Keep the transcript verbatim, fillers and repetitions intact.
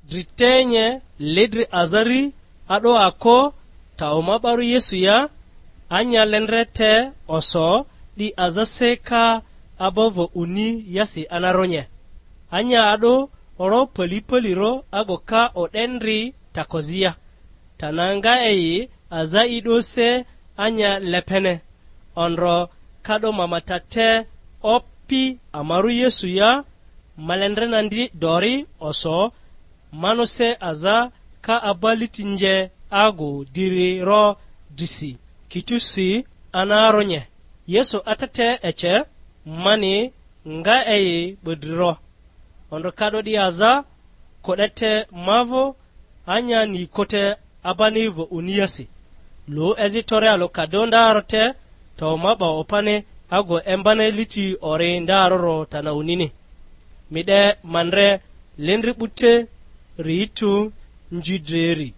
Dri te nye, ledri aza ri, a'do ako, tawo ma 'barᴜ Yesu ya, anya lendre te oso, 'di aza se ka aba va uni yasi anaronye. Anya a'do oro pali paliro ago ka o'dendri takozia. Tana nga eyi aza i 'do se anya lepene. Ondro ka'do ma ma ta te Opi amarᴜ Yesu ya, malendrena ndi dori oso, mano se aza ka aba liti nje agu diri ro drisi, kitusi anaronye. Yesu atete ece, mani nga eyi 'bodri ro. Ondro ka'do 'di aza, ko'de te ma vᴜ, anya ni kote abani va uniasi. Lu ezi tore alᴜ ka do ndaro te, to ma 'ba opani ago embani liti ori ndaroro tana unini. Mi 'de ma ndre lendri 'bute ri tu nji dreri.